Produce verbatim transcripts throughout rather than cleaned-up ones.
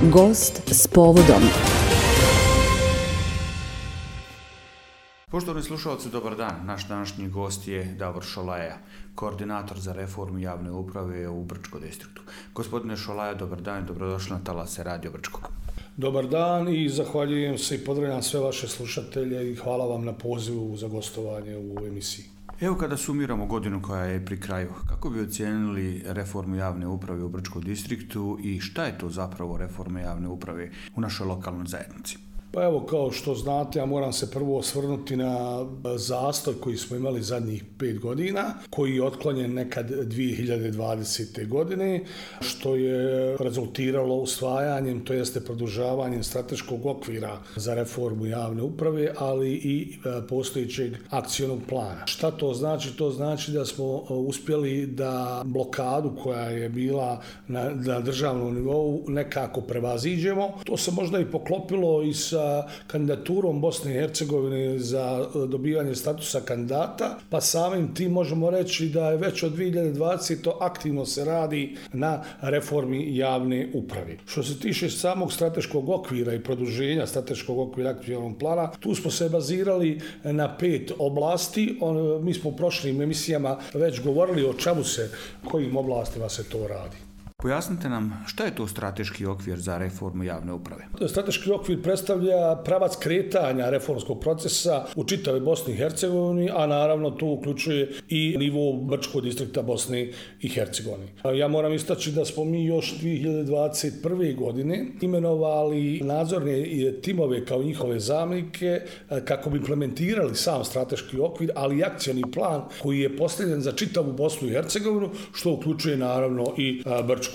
Gost s povodom. Poštovani slušalci, dobar dan. Naš današnji gost je Davor Šolaja, koordinator za reformu javne uprave u Brčkom distriktu. Gospodine Šolaja, dobar dan i dobrodošli na talase Radio Brčkog. Dobar dan i zahvaljujem se i pozdravljam sve vaše slušatelje i hvala vam na pozivu za gostovanje u emisiji. Evo, kada sumiramo godinu koja je pri kraju, kako bi ocijenili reformu javne uprave u Brčkom distriktu i šta je to zapravo reforma javne uprave u našoj lokalnoj zajednici? Pa evo, kao što znate, ja moram se prvo osvrnuti na zastoj koji smo imali zadnjih pet godina, koji je otklonjen nekad dvije hiljade dvadesete. godine, što je rezultiralo usvajanjem, to jeste produžavanjem strateškog okvira za reformu javne uprave, ali i postojećeg akcionog plana. Šta to znači? To znači da smo uspjeli da blokadu koja je bila na, na državnom nivou nekako prevaziđemo. To se možda i poklopilo i sa kandidaturom Bosne i Hercegovine za dobivanje statusa kandidata, pa samim tim možemo reći da je već od dvije hiljade dvadesete. aktivno se radi na reformi javne uprave. Što se tiče samog strateškog okvira i produženja strateškog okvira aktivnog plana, tu smo se bazirali na pet oblasti. On, mi smo u prošlim emisijama već govorili o čemu se, kojim oblastima se to radi. Pojasnite nam šta je to strateški okvir za reformu javne uprave? Strateški okvir predstavlja pravac kretanja reformskog procesa u čitavoj Bosni i Hercegovini, a naravno to uključuje i nivo Brčkog distrikta Bosne i Hercegovine. Ja moram istaći da smo mi još dvije hiljade dvadeset prve. godine imenovali nadzorne timove kao njihove zamjenike kako bi implementirali sam strateški okvir, ali i akcioni plan koji je postavljen za čitavu Bosnu i Hercegovinu, što uključuje naravno i Brčko.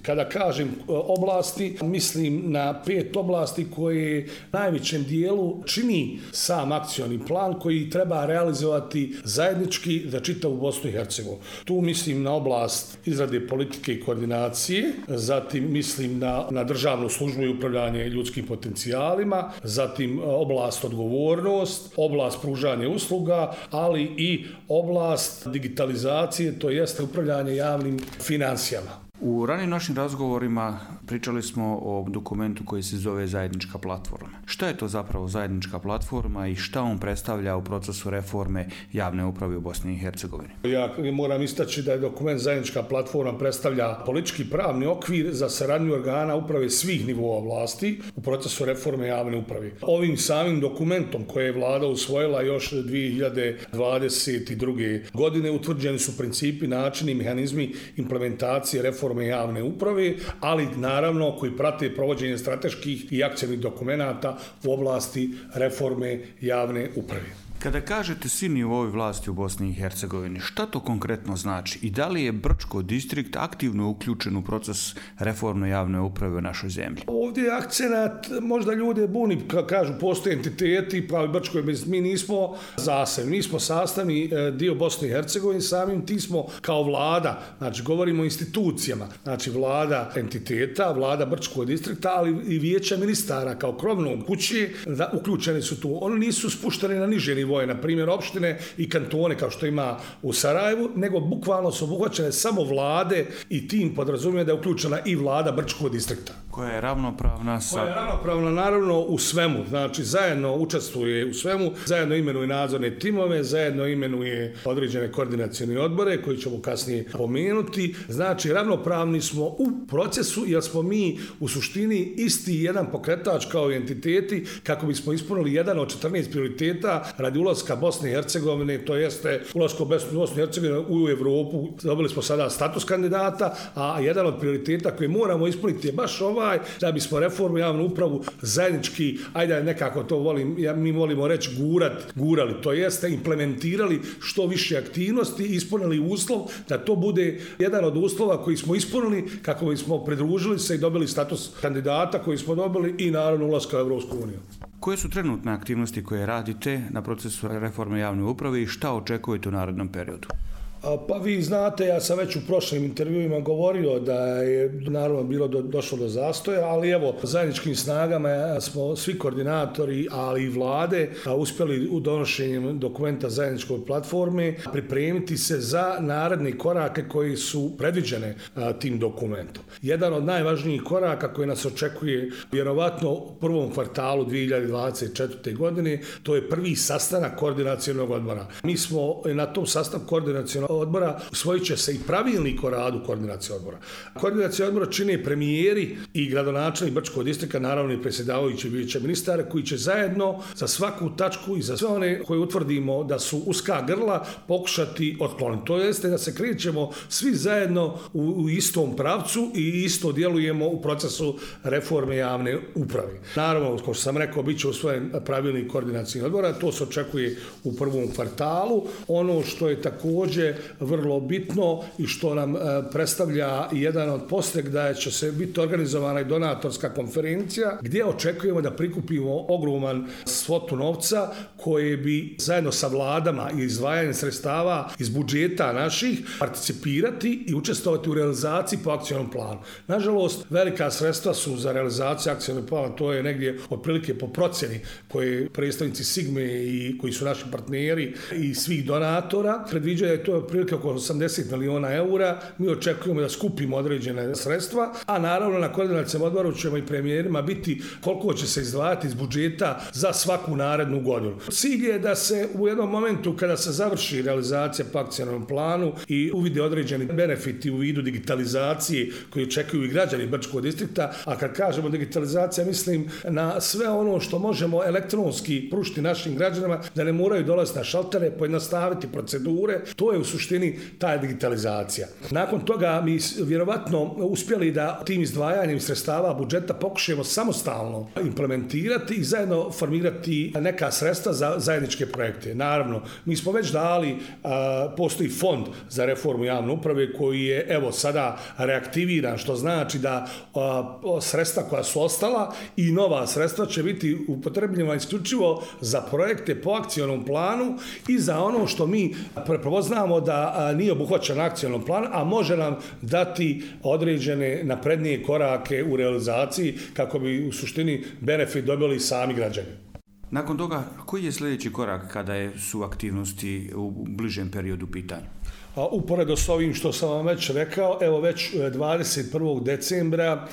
Kada kažem oblasti, mislim na pet oblasti koje najvećem dijelu čini sam akcioni plan koji treba realizovati zajednički za čitavu Bosnu i Hercegovinu. Tu mislim na oblast izrade politike i koordinacije, zatim mislim na, na državnu službu i upravljanje ljudskim potencijalima, zatim oblast odgovornost, oblast pružanja usluga, ali i oblast digitalizacije, to jeste upravljanje javnim financijama. U ranijim našim razgovorima pričali smo o dokumentu koji se zove zajednička platforma. Šta je to zapravo zajednička platforma i šta on predstavlja u procesu reforme javne uprave u Bosni i Hercegovini? Ja moram istaći da je dokument zajednička platforma predstavlja politički pravni okvir za saradnju organa uprave svih nivoa vlasti u procesu reforme javne uprave. Ovim samim dokumentom koje je vlada usvojila još dvije hiljade dvadeset druge. godine utvrđeni su principi, načini i mehanizmi implementacije reforme javne uprave, ali naravno koji prate provođenje strateških i akcionih dokumenata u oblasti reforme javne uprave. Kada kažete svi nivoi vlasti u Bosni i Hercegovini, šta to konkretno znači i da li je Brčko distrikt aktivno uključen u proces reforme javne uprave u našoj zemlji? Ovdje je akcenat, možda ljude buni, kažu postoje entiteti, pravi Brčko, mi nismo zasebni, mi smo sastavni dio Bosne i Hercegovine, samim ti smo kao vlada, znači govorimo o institucijama, znači vlada entiteta, vlada Brčkog distrikta, ali i vijeća ministara kao krovnog kuće, da, uključeni su tu. Oni nisu spušteni na niže nivoje, na primjer opštine i kantone kao što ima u Sarajevu, nego bukvalno su obuhvaćene samo vlade i tim podrazumije da je uključena i vlada Brčkog distrikta. Koja je ravnopravna sa... Koja je ravnopravna naravno u svemu, znači zajedno učestvuje u svemu, zajedno imenuje nadzorne timove, zajedno imenuje određene koordinacione odbore koji ćemo kasnije pomenuti, znači ravnopravni smo u procesu jer smo mi u suštini isti jedan pokretač kao i entiteti kako bismo ispunili jedan od četrnaest prioriteta radi ulaska Bosne i Hercegovine, to jeste ulasko Bosne i Hercegovine u Evropu. Dobili smo sada status kandidata, a jedan od prioriteta koje moramo ispuniti je baš ovaj, da bismo reformu javnu upravu zajednički, ajde nekako to volim, ja, mi volimo reći gurat, gurali, to jeste implementirali što više aktivnosti, ispunili uslov da to bude jedan od uslova koji smo ispunili kako bismo pridružili se i dobili status kandidata koji smo dobili i naravno ulaska u Evropsku uniju. Koje su trenutne aktivnosti koje radite na procesu reforme javne uprave i šta očekujete u narednom periodu? Pa vi znate, ja sam već u prošlim intervjuima govorio da je naravno bilo do, došlo do zastoja, ali evo, zajedničkim snagama smo svi koordinatori, ali i vlade uspjeli u donošenjem dokumenta zajedničkoj platforme pripremiti se za naredne korake koji su predviđene tim dokumentom. Jedan od najvažnijih koraka koji nas očekuje vjerovatno u prvom kvartalu dvije hiljade dvadeset četvrte. godine, to je prvi sastanak koordinacionog odbora. Mi smo na tom sastanku koordinacionog odbora usvojit će se i pravilnik o radu koordinacionog odbora. Koordinacionog odbora čine premijeri i gradonačelnik Brčkog distrikta, naravno i predsjedavajući vijeća ministara, koji će zajedno za svaku tačku i za sve one koje utvrdimo da su uska grla pokušati otkloniti. To jeste da se krećemo svi zajedno u, u istom pravcu i isto djelujemo u procesu reforme javne uprave. Naravno, kao što sam rekao, bit će usvojen pravilnik koordinacijnog odbora, to se očekuje u prvom kvartalu. Ono što je također vrlo bitno i što nam e, predstavlja jedan od postrek da će se biti organizovana i donatorska konferencija gdje očekujemo da prikupimo ogroman svotu novca koje bi zajedno sa vladama i izdvajanjem sredstava iz budžeta naših participirati i učestvovati u realizaciji po akcionom planu. Nažalost, velika sredstva su za realizaciju akcionog plana, to je negdje otprilike po procjeni koje predstavnici Sigme i koji su naši partneri i svih donatora predviđaju da je to otprilike oko osamdeset miliona eura. Mi očekujemo da skupimo određene sredstva, a naravno na koordinacijom odboru ćemo i premijerima biti koliko će se izdvajati iz budžeta za svaku narednu godinu. Cilj je da se u jednom momentu kada se završi realizacija po akcionom planu i uvide određeni benefiti u vidu digitalizacije koji očekuju i građani Brčkog distrikta, a kad kažemo digitalizacija mislim na sve ono što možemo elektronski pružiti našim građanima, da ne moraju dolaziti na šaltere, pojednostaviti procedure, to je u suštini ta digitalizacija. Nakon toga mi vjerovatno uspjeli da tim izdvajanjem sredstava budžeta pokušamo samostalno implementirati i zajedno formirati neka sredstva za zajedničke projekte. Naravno, mi smo već dali, a, postoji fond za reformu javne uprave koji je evo sada reaktiviran, što znači da a, sredstva koja su ostala i nova sredstva će biti upotrebljena isključivo za projekte po akcionom planu i za ono što mi prepoznamo da a, nije obuhvaćen akcionom planu, a može nam dati određene naprednije korake u realizaciji kako bi u suštini benefit dobili sami građani. Nakon toga, koji je sljedeći korak kada je, su aktivnosti u bližem periodu pitanju? Uporedo s ovim što sam vam već rekao, evo već dvadeset prvog decembra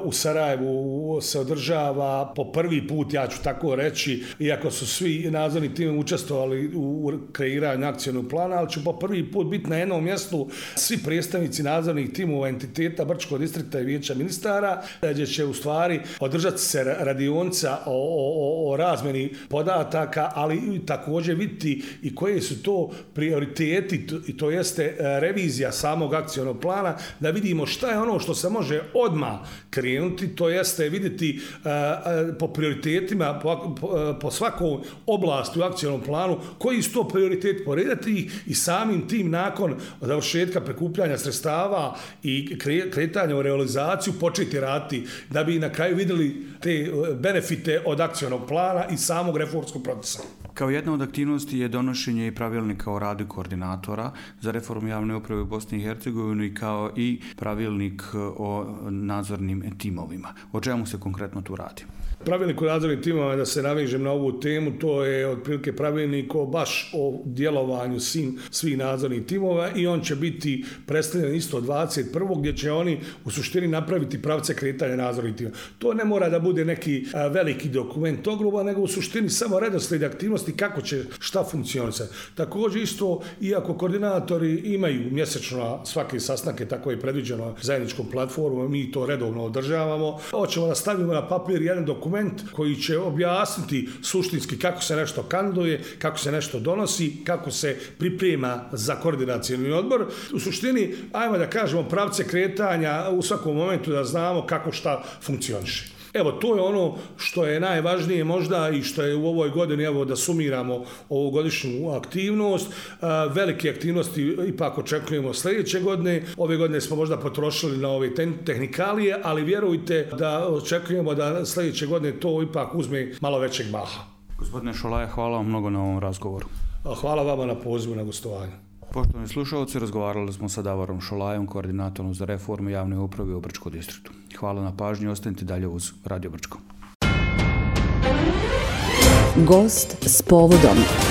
u Sarajevu se održava po prvi put, ja ću tako reći, iako su svi nadzorni timovi učestvovali u kreiranju akcionog plana, ali će po prvi put biti na jednom mjestu svi predstavnici nadzornih timova entiteta Brčkog distrikta i vijeća ministara, gdje će u stvari održati se radionica o, o, o razmjeni podataka, ali također vidjeti i koje su to prioriteti, i to jeste revizija samog akcionog plana, da vidimo šta je ono što se može odmah krenuti, to jeste vidjeti uh, po prioritetima, po, po, po svakom oblasti u akcionom planu, koji su to prioriteti, poredati ih i samim tim nakon završetka prikupljanja sredstava i kretanja u realizaciju početi raditi, da bi na kraju vidjeli te benefite od akcionog plana i samog reformskog procesa. Kao jedna od aktivnosti je donošenje i pravilnika o radu koordinatora za reformu javne uprave u Bosni i Hercegovini, kao i pravilnik o nadzornim timovima. O čemu se konkretno tu radi? Pravilnik o nadzornim timovima, da se navežem na ovu temu, to je otprilike pravilnik o baš o djelovanju svim, svih nadzornih timova i on će biti predstavljen isto dvadeset prvog gdje će oni u suštini napraviti pravce kretanja nadzornih timova. To ne mora da bude neki a, veliki dokument ogruba, nego u suštini samo redoslijed aktivnosti kako će šta funkcionisati. Također isto, iako koordinatori imaju mjesečno svake sastanke, tako je predviđeno zajedničkom platformom, mi to redovno održavamo, hoćemo da stavimo na papir jedan dokument koji će objasniti suštinski kako se nešto kandiduje, kako se nešto donosi, kako se priprema za koordinacijski odbor. U suštini, ajmo da kažemo, pravce kretanja u svakom momentu da znamo kako šta funkcioniše. Evo, to je ono što je najvažnije možda i što je u ovoj godini, evo da sumiramo ovogodišnju aktivnost. Velike aktivnosti ipak očekujemo sljedeće godine. Ove godine smo možda potrošili na ove tehnikalije, ali vjerujte da očekujemo da sljedeće godine to ipak uzme malo većeg maha. Gospodine Šolaja, hvala vam mnogo na ovom razgovoru. Hvala vama na pozivu na gostovanje. Poštovani slušalci, razgovarali smo sa Davorom Šolajom, koordinatorom za reformu javne uprave u Brčkom distriktu. Hvala na pažnji, ostanite dalje uz Radio Brčko. Gost s povodom.